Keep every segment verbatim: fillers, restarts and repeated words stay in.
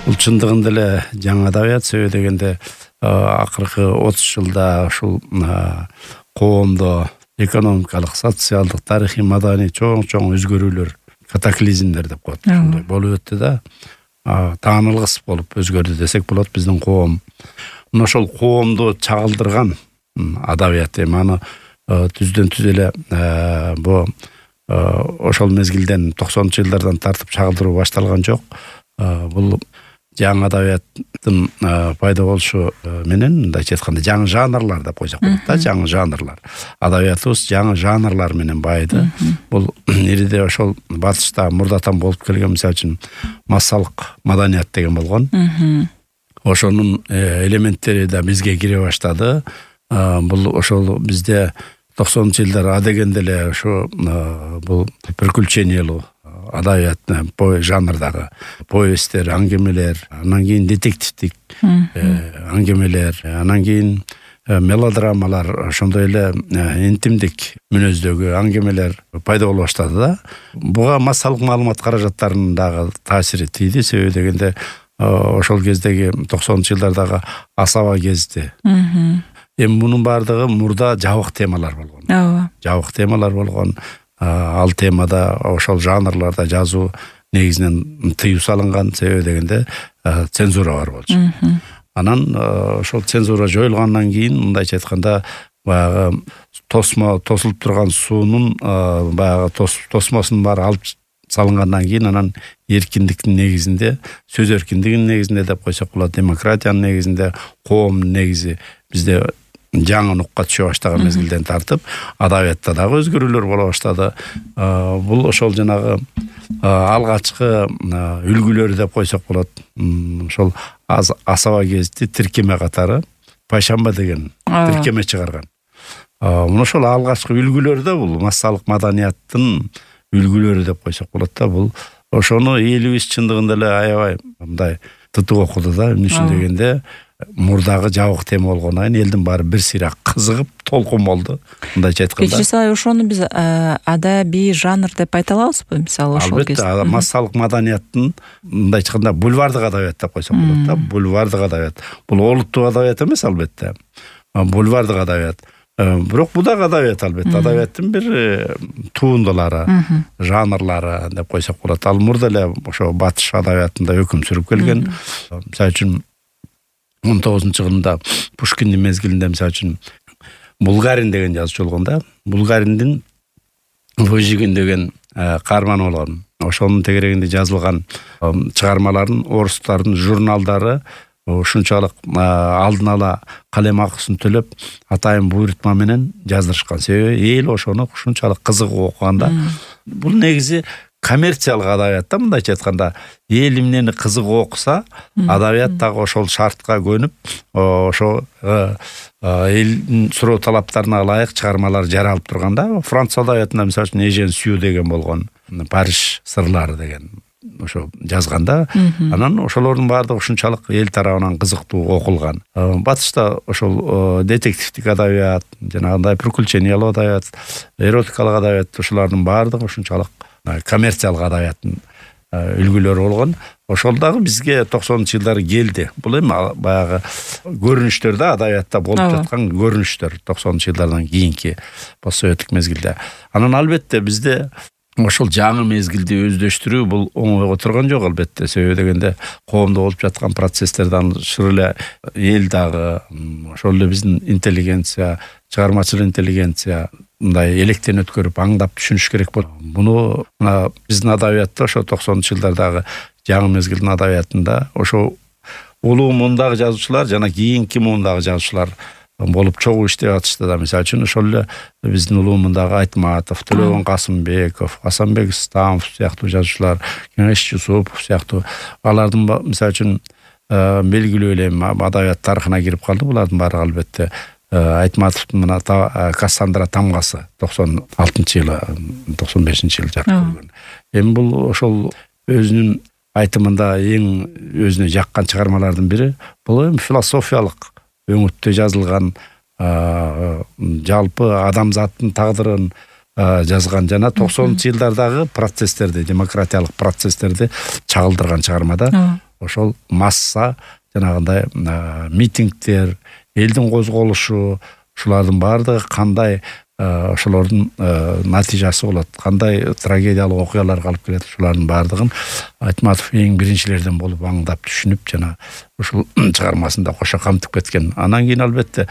Бул чындыгында эле жаңы адабият, себеби дегенде акыркы отуз жылда ушул коомдо экономикалык, социалдык, тарыхый, маданий чоң-чоң өзгөрүүлөр, катаклизмдер деп коет. Ушундай болуп өттү да. Таанылгыс болуп өзгөрдү десек болот биздин коом. Мына ошол коомду чагылдырган адабият эми аны түздөн түз эле бу ошол мезгилден токсонунчу жылдардан тартып чагылдыруу башталган жок. Бул жаңы адабияттын пайда болушу менен, мындайча айтканда, жаңы жанрлар деп койсок болот да, жаңы жанрлар. Адабиятыбыз жаңы жанрлар менен байыды. Бул ириде ошол батышта мурдатан болуп келген, мисалы үчүн массалык маданият деген болгон. Ошонун элементтери да бизге кире баштады. Бул ошол бизде токсонунчу жылдар адегенде эле ошо бул приключениялуу адабият жанрдагы повесттер, аңгемелер, анан кийин детективдик аңгемелер, анан кийин мелодрамалар, ошондой эле интимдик мүнөздөгү аңгемелер пайда боло баштады да. Буга массалык маалымат каражаттарынын дагы таасири тийди, себеби дегенде ошол кездеги токсонунчу жылдардагы асаба кезди. Эми мунун баардыгы мурда жабык темалар болгон. Ооба. Жабык темалар болгон. Ал темада ошол жанрларда жазуу негизинен тыюу салынган, себеби дегенде цензура бар болчу. Анан ошол цензура жоюлгандан кийин, мындайча айтканда, баягы тосмо тосулуп турган суунун баягы тосмосунун баары алып салынгандан кийин, анан эркиндиктин негизинде, сөз эркиндигинин негизинде деп койсок болот, демократиянын негизинде, коомдун негизи бизде жаңы нукка түшө баштаган мезгилден тартып, адабиятта дагы өзгөрүүлөр боло баштады. Бул ошол жанагы алгачкы үлгүлөр деп койсок болот. Ошол асаба кезди тиркеме катары Пайшамба деген тиркеме чыгарган. Мына ошол алгачкы үлгүлөр да бул массалык маданияттын үлгүлөрү деп койсок болот да. Бул ошону элибиз чындыгында эле аябай мындай тытып окуду да. Эмне үчүн дегенде, мурдагы жабык тема болгондон кийин элдин баары бир сыйра кызыгып толкун болду. Мындайча айтканда. Кечирсиз, ошону биз адабий жанр деп айта алабызбы? Мисалы ошол кезде. Албетте, массалык маданияттын, мындайча айтканда, бульвардык адабият деп койсок болот да. Бульвардык адабият. Бул олуттук адабият эмес, албетте. Бульвардык адабият. Бирок бул дагы адабият, албетте. Адабияттын бир туундулары, жанрлары деп койсок болот. Ал мурда эле ошо батыш адабиятында өкүм сүрүп келген. Мисалы үчүн он тогузунчу жылында Пушкиндин мезгилинде, мисалы үчүн, Булгарин деген жазуучу болгон да. Булгариндин Выжигин деген каарманы болгон. Ошонун тегерегинде жазылган чыгармаларын орустардын журналдары ушунчалык алдын ала калем акысын төлөп, атайын буйрутма менен жаздырышкан. Себеби эл ошону ушунчалык кызыгып окуганда. Бул негизи коммерциялык адабият да, мындайча айтканда. Эл эмнени кызыгып окуса, адабият дагы ошол шартка көнүп, ошо элдин суроо талаптарына ылайык чыгармалар жаралып турганда, Француз адабиятында мисалы үчүн Эжен Сью деген болгон, Париж сырлары деген ошо жазганда, анан ошолордун баардыгы ушунчалык эл тарабынан кызыктуу окулган. Батышта ошол детективдик адабият, жанагындай приключениялуу адабият, эротикалык адабият, ошолордун баардыгы ушунчалык коммерциялык адабияттын үлгүлөрү болгон. Ошол дагы бизге токсонунчу жылдары келди. Бул эми баягы көрүнүштөр да, адабиятта болуп жаткан көрүнүштөр токсонунчу жылдардан кийинки постсоветтик мезгилде. Анан албетте бизде ошол жаңы мезгилди өздөштүрүү бул оңойго турган жок, албетте. Себеби дегенде коомдо болуп жаткан процесстерден шыр эле эл дагы, ошол эле биздин интеллигенция, чыгармачыл интеллигенция мындай электен өткөрүп, аңдап түшүнүш керек болот. Муну мына биздин адабиятта ошо токсонунчу жылдардагы жаңы мезгилдин адабиятында ошо улуу муундагы жазуучулар жана кийинки муундагы жазуучулар болуп чогуу иштеп атышты да. Мисалы үчүн ошол эле биздин улуу муундагы Айтматов, Төлөгөн Касымбеков, Асанбек Стамов сыяктуу жазуучулар, Кеңеш Жусупов сыяктуу, алардын мисалы үчүн белгилүү эле адабият тарыхына кирип калды. Булардын баары албетте Айтматовдун мына Кассандра тамгасы токсон алтынчы жылы, токсон бешинчи жылы жарык көргөн. Эми бул ошол өзүнүн айтымында эң өзүнө жаккан чыгармалардын бири. Бул эми философиялык өңүттө жазылган, жалпы адамзаттын тагдырын жазган жана токсонунчу жылдардагы процесстерди, демократиялык процесстерди чагылдырган чыгармада. ошол масса жанагындай митингдер, элдин козголушу, ушулардын баардыгы кандай ошолордун натыйжасы болот, кандай трагедиялык окуяларга алып келет, ушулардын баардыгын Айтматов эң биринчилерден болуп аңдап түшүнүп жана ушул чыгармасында кошо камтып кеткен. Анан кийин албетте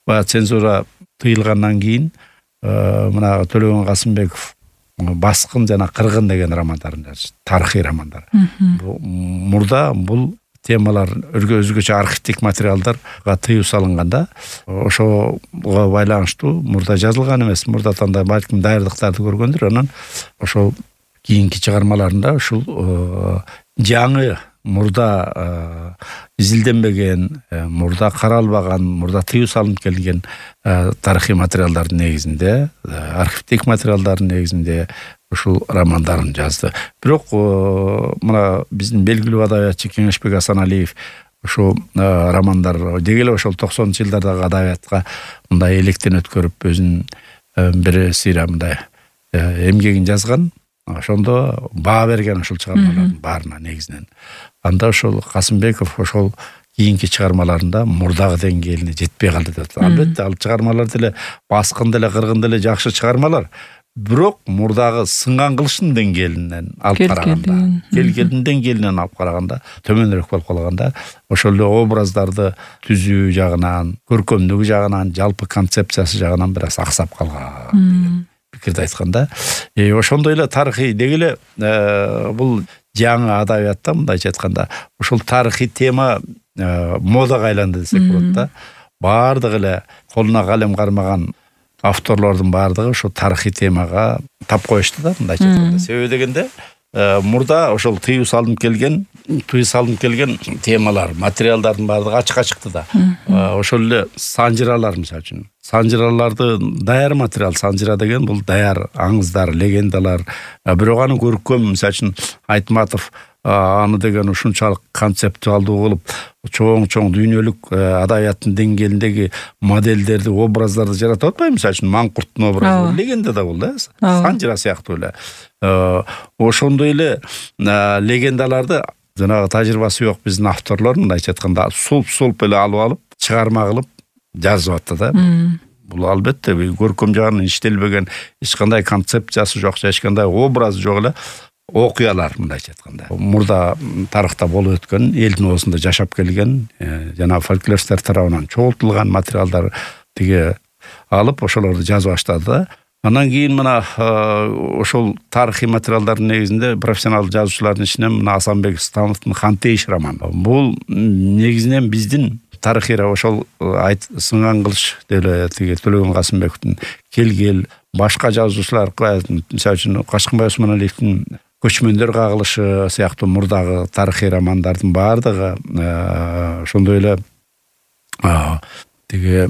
баягы цензура тыйылгандан кийин мына Төлөгөн Касымбеков Баскын жана Кыргын деген романдарын жазды, тарыхый романдар. Мурда бул темалар өзгөчө архивдик материалдарга тыюу салынганда ошого байланыштуу мурда жазылган эмес, мурда танда балким даярдыктарды көргөндүр. Анан ошол кийинки чыгармаларында ушул жаңы мурда изилденбеген, мурда каралбаган, мурда тыюу салынып келген тарыхый материалдардын негизинде, архивдик материалдардын негизинде ушул романдарын жазды. Бирок мына биздин белгилүү адабиятчы Кеңешбек Асаналиев ушул романдар деги эле ошол токсонунчу жылдардагы адабиятка мындай электен өткөрүп өзүнүн бир сыйра мындай эмгегин жазган. Ошондо баа берген ушул чыгармалардын баарына негизинен. Анда ошол Касымбеков ошол кийинки чыгармаларында мурдагы деңгээлине жетпей калды деп. Албетте ал чыгармалар деле Баскын деле Кыргын деле жакшы чыгармалар. Бирок мурдагы сынган кылыштын деңгээлинен алып караганда, келгендин деңгээлинен алып караганда төмөнүрөөк болуп калганда, ошол эле образдарды түзүү жагынан, көркөмдүгү жагынан, жалпы концепциясы жагынан бир аз аксап калган деген пикирди айтканда, ошондой эле тарыхый деги эле бул жаңы адабиятта мындайча айтканда, ошол тарыхый тема модага айланды десек болот да. Баардыгы эле колуна калем кармаган авторлордун баардыгы ошо тарыхый темага тап коюшту да, мындайча айтканда. Себеби дегенде мурда ошол тыюу салынып келген, тыюу салынып келген темалар, материалдардын баардыгы ачыкка чыкты да. Ошол эле санжыралар мисалы үчүн. Санжыраларды даяр материал, санжыра деген бул даяр аңыздар, легендалар. Бирок аны көркөм мисалы үчүн Айтматов аны деген ушунчалык концептуалдуу кылып, чоң-чоң дүйнөлүк адабияттын деңгээлиндеги модельдерди, образдарды жаратып атпайбы? Мисалы үчүн Маңкурттун образы легенда да бул да, санжыра сыяктуу эле. Ошондой эле легендаларды жанагы тажрыйбасы жок биздин авторлор мындайча айтканда сулп-сулп эле алып алып, чыгарма кылып жазып атты да. Бул албетте көркөм жагынан иштелбеген, эч кандай концепциясы жок, эч кандай образы жок эле окуялар мындайча айтканда. Мурда тарыхта болуп өткөн, элдин оозунда жашап келген, жана фольклористтер тарабынан чогултулган материалдар тиги алып ошолорду жазып баштады да. Андан кийин мына ошол тарыхый материалдардын негизинде профессионал жазуучулардын ичинен мына Асанбек Становдун Хантейиш романы. Бул негизинен биздин тарыхый ошол сынган кылыш деле тиги Төлөгөн Касымбековдун Келгел, башка жазуучулар, мисалы үчүн Качкынбай Усманалиевдин Көчмөндөр кагылышы сыяктуу мурдагы тарыхый романдардын баардыгы ошондой эле тиги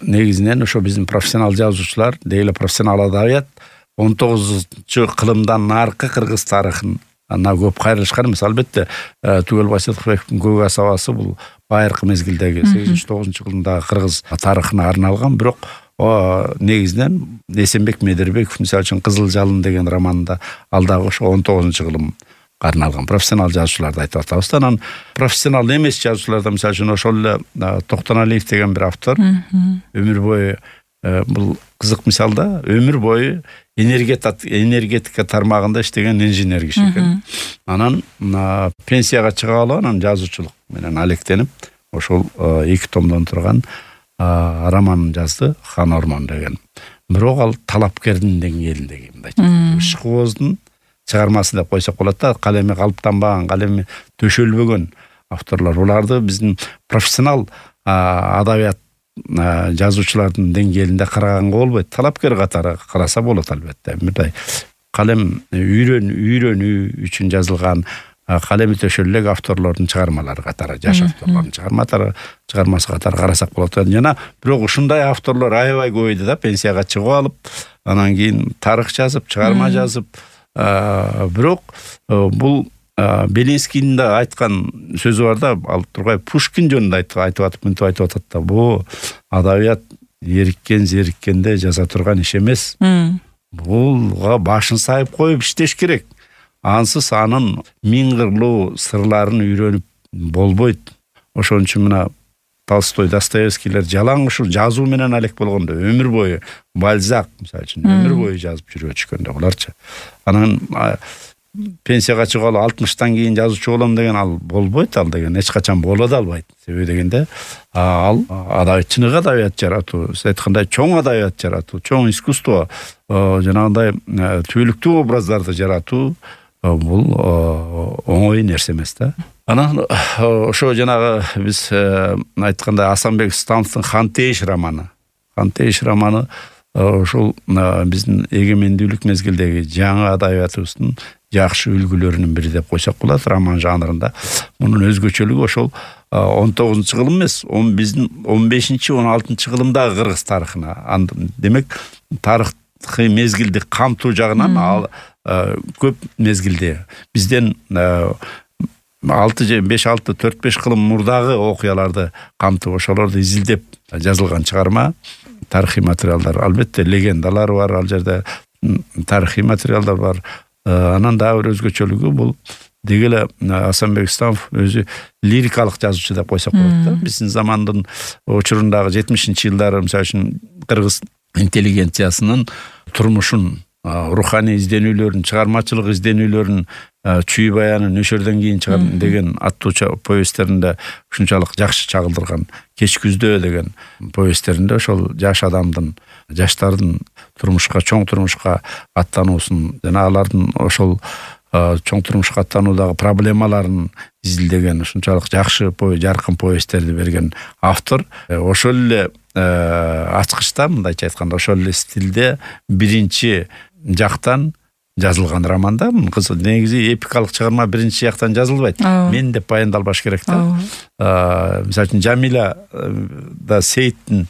негизинен ошо биздин профессионал жазуучулар, деги эле профессионал адабият он тогузунчу кылымдан наркы кыргыз тарыхын ана көп кайрылышкан эмес. Албетте Түгел Байсалдыкбековдун Көк асабасы бул байыркы мезгилдеги сегизинчи тогузунчу кылымдагы кыргыз тарыхына арналган, бирок негизинен Эсенбек Медербеков мисалы үчүн Кызыл жалын деген романында ал дагы ошо он тогузунчу кылымга арналган профессионал жазуучуларды айтып атабыз. Анан профессионал эмес жазуучуларда мисалы үчүн ошол эле Токтоналиев деген бир автор өмүр бою бул кызык мисал да, өмүр бою энергетика тармагында иштеген инженер киши экен. Анан пенсияга чыга алып, анан жазуучулук менен алектенип ошол эки томдон турган роман жазды, Хан Ормон деген. Бирок ал талапкердин деңгээлиндеги мындайча Ишык Ооздун чыгармасы деп койсок болот да, калеми калыптанбаган, калеми төшөлбөгөн авторлор. Буларды биздин профессионал адабият жазуучулардын деңгээлинде караганга болбойт. Талапкер катары караса болот албетте. Мындай калем үйрөн үйрөнүү үчүн жазылган, калеми төшөлүк авторлордун чыгармалары катары, жаш авторлордун чыгармалары чыгармасы катары карасак болот. Жана бирок ушундай авторлор аябай көбөйдү да, пенсияга чыгып алып, анан кийин тарых жазып, чыгарма жазып, бирок бул Белинскийдин да айткан сөзү бар да, ал тургай Пушкин жөнүндө айтып атып, мынтип айтып атат да, бул адабият эриккен зериккенде жаза турган иш эмес. Булга башын сайып коюп иштеш керек. Ансыз анын миң кырлуу сырларын үйрөнүп болбойт. Ошон үчүн мына Толстой, Достоевскийлер жалаң ушул жазуу менен алек болгондо өмүр бою, Бальзак мисалы үчүн өмүр бою жазып жүрүп өчкөн да буларчы. Анан пенсияга чыгалы алтымыштан кийин жазуучу болом деген ал болбойт, ал деген эч качан боло да албайт. Себеби дегенде ал адабият, чыныгы адабият жаратуу, сиз айткандай чоң адабият жаратуу, чоң искусство, жанагындай түбөлүктүү образдарды жаратуу бул оңой нерсе эмес да. Анан ошо жанагы биз айткандай Асанбек Становдун Хантейиш романы. Хантейиш романы ошол биздин эгемендүүлүк мезгилдеги жаңы адабиятыбыздын жакшы үлгүлөрүнүн бири деп койсок болот роман жанрында. Мунун өзгөчөлүгү ошол он тогузунчу кылым эмес, биздин он бешинчи он алтынчы кылымдагы кыргыз тарыхына. Демек тарыхый мезгилди камтуу жагынан ал көп мезгилде бизден алты же беш алты төрт беш кылым мурдагы окуяларды камтып ошолорду изилдеп жазылган чыгарма. Тарыхый материалдар, албетте легендалар бар, ал жерде тарыхый материалдар бар. Анан дагы бир өзгөчөлүгү бул деги эле Асанбек Становов өзү лирикалык жазуучу деп койсок болот да. Биздин замандын учурундагы жетимишинчи жылдары мисалы үчүн кыргыз интеллигенциясынын турмушун, руханий изденүүлөрүн, чыгармачылык изденүүлөрүн, чүй баянын өшөрдөн кийин чыгар деген аттуу повесттеринде ушунчалык жакшы чагылдырган. Кеч күздө деген повесттеринде ошол жаш адамдын, жаштардын турмушка, чоң турмушка аттануусун жана алардын ошол чоң турмушка аттануудагы проблемаларын изилдеген ушунчалык жакшы, жаркын повесттерди берген автор. Ошол эле ачкычта, мындайча айтканда, ошол эле стилде биринчи жактан жазылган романда. Кызы негизи эпикалык чыгарма биринчи жактан жазылбайт. Мен деп баяндалбаш керек да. Мисалы үчүн Жамиля да Сейиттин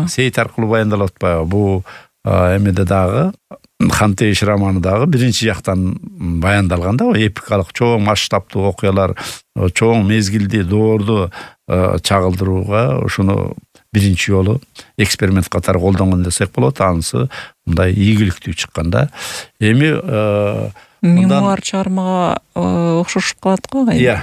Сейит аркылуу баяндалып атпайбы? Бул эмеде дагы Хантейиш романы дагы биринчи жактан баяндалган да, эпикалык чоң масштабтуу окуялар, чоң мезгилди, доорду чагылдырууга ошону биринчи жолу эксперимент катары колдонгон десек болот. Анысы мындай ийгиликтүү чыккан да. Эми мемуар чыгармага окшошуп калат го. Иә.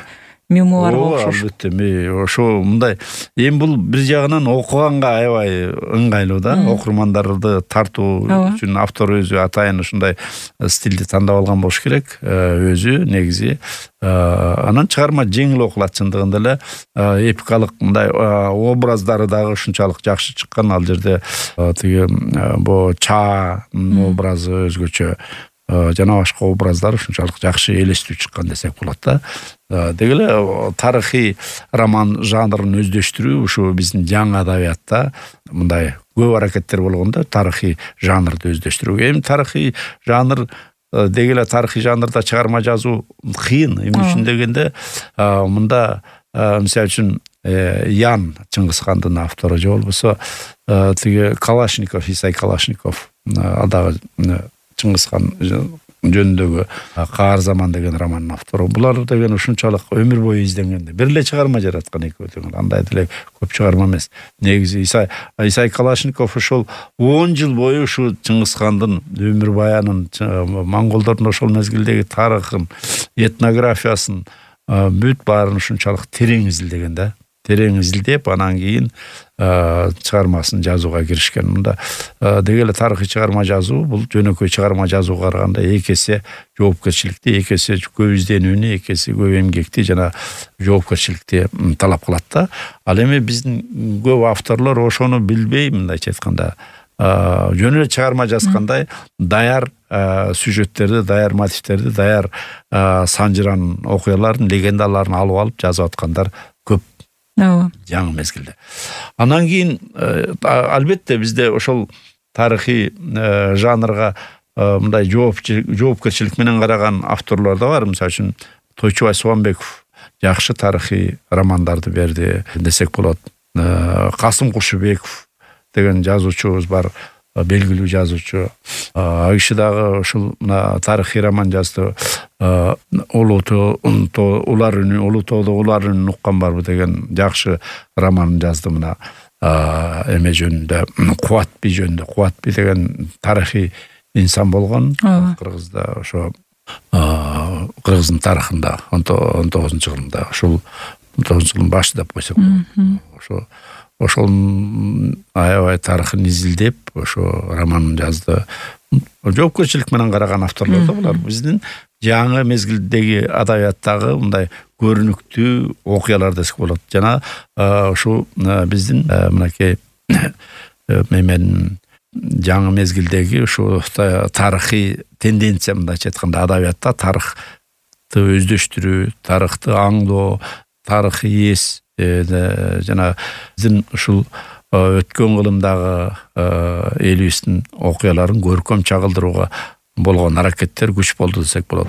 Мемуарга окшош. Албетте, ошо мындай. Эми бул бир жагынан окуганга аябай ыңгайлуу да. Окурмандарды тартуу үчүн автор өзү атайын ушундай стилди тандап алган болуш керек. Өзү негизи анан чыгарма жеңил окулат, чындыгында эле эпикалык мындай образдары дагы ушунчалык жакшы чыккан. Ал жерде тиги бу Ча образы өзгөчө, жана башка образдар ушунчалык жакшы элестүү чыккан десек болот да. Деги эле тарыхый роман жанрын өздөштүрүү ушу биздин жаңы адабиятта мындай көп аракеттер болгондо тарыхый жанрды өздөштүрүү. Эми тарыхый жанр деги эле тарыхый жанрда чыгарма жазуу кыйын. Эмне үчүн дегенде мында мисалы үчүн Ян Чыңгызхандын автору же болбосо тиги Калашников, Исай Калашников, ал дагы Чыңгызхан жөнүндөгү Каар заман деген романдын автору. Булар деген ушунчалык өмүр бою изденгенде бир эле чыгарма жараткан экөө деген. Андай деле көп чыгарма эмес. Негизи Исай Исай Калашников ошол он жыл бою ушу Чыңгызхандын өмүр баянын, монголдордун ошол мезгилдеги тарыхын, этнографиясын бүт баарын ушунчалык терең изилдеген да. Терең изилдеп, анан кийин чыгармасын жазууга киришкен. Мында деги эле тарыхый чыгарма жазуу бул жөнөкөй чыгарма жазууга караганда эки эсе жоопкерчиликти, эки эсе көп изденүүнү, эки эсе көп эмгекти жана жоопкерчиликти талап кылат да. Ал эми биздин көп авторлор ошону билбей, мындайча айтканда, жөн эле чыгарма жазгандай даяр сюжеттерди, даяр мотивтерди, даяр санжыран окуялардын, легендаларын алып алып жазып аткандар көп. Жаңы мезгилде. Анан кийин албетте бизде ошол тарыхый жанрга мындай жоопкерчилик менен караган авторлор да бар. Мисалы үчүн Тойчубай Субанбеков жакшы тарыхый романдарды берди десек болот. Касым Кушубеков деген жазуучубуз бар, белгилүү жазуучу. Ал киши дагы ушул тарыхый роман жазды. Улуу улар үнү, улуу тоодо улар үнүн уккан барбы деген жакшы романын жазды. Мына эме жөнүндө, Кубат би жөнүндө. Кубат би деген тарыхый инсан болгон. Кыргызда ошо кыргыздын тарыхында он тогузунчу кылымда ушул он тогузунчу жылдын башы деп койсок болот. Ошо ошол аябай тарыхын изилдеп ошо роман жазды. Жоопкерчилик менен караган авторлор да булар. Биздин жаңы мезгилдеги адабияттагы мындай көрүнүктүү окуялар десек болот. Жана ушу биздин мынакей мен жаңы мезгилдеги ушу тарыхый тенденция мындайча айтканда адабиятта тарыхты өздөштүрүү, тарыхты аңдоо, тарыхый эс жана биздин ушул өткөн кылымдагы элибиздин окуяларын көркөм чагылдырууга болгон аракеттер күч болду десек болот.